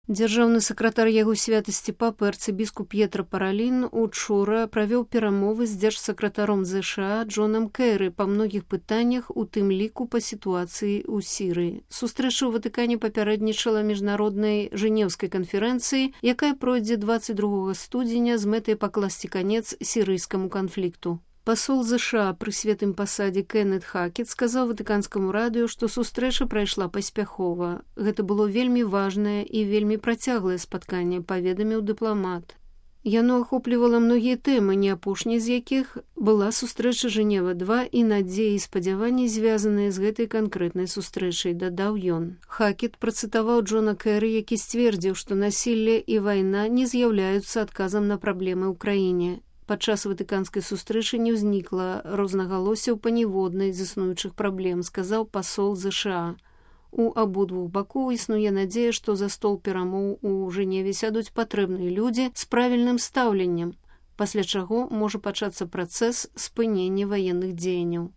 Дзяржаўны сакратар яго святасці папы арцыбіскуп П'етра Паралін учора правёў перамовы з дзяржсакратаром ЗША Джонам Кэры па многіх пытаннях, у тым ліку па сітуацыі ў Сірыі. Сустрэча ў Ватыкане папярэднічала міжнароднай жэнеўскай канферэнцыі, якая пройдзе 22 студзеня з мэтай пакласці канец сірыйскаму канфлікту. Пасол ЗША пры святым пасадзе Кеннет Хакет сказаў ватыканскаму радыё, што сустрэча прайшла паспяхова. Гэта было вельмі важнае і вельмі працяглае спатканне, паведаміў дыпламат. Яно ахоплівала многія тэмы, не апошняй з якіх была сустрэча Жэнева-2 і надзеі і спадзяванні, звязаныя з гэтай канкрэтнай сустрэчай, дадаў ён. Хакет працытаваў Джона Кэры, які сцвердзіў, што насілле і вайна не з'яўляюцца адказам на праблемы ў краіне. Падчас ватыканскай сустрэчы не ўзнікла рознагалоссяў па ніводнай з існуючых праблем, сказаў пасол ЗША. У абодвух бакоў існуе надзея, што за стол перамоў у Жэневе сядуць патрэбныя людзі з правільным стаўленнем, пасля чаго можа пачацца працэс спынення ваенных дзеянняў.